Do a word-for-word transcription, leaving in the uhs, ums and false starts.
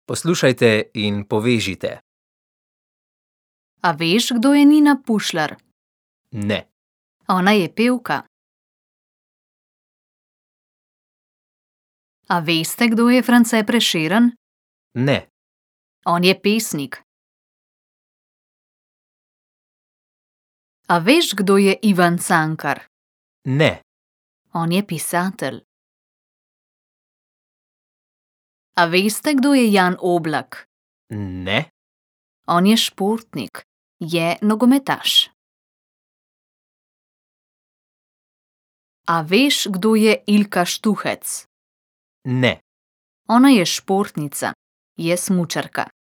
Poslušajte in povežite. A veš, kdo je Nina Pušlar? Ne. Ona je pevka. A veste, kdo je France Prešeren? Ne. On je pesnik. A veš, kdo je Ivan Cankar? Ne. On je pisatelj. A veste, kdo je Jan Oblak? Ne. On je športnik. Je nogometaš. A veš, kdo je Ilka Štuhec? Ne. Ona je športnica. Je smučarka.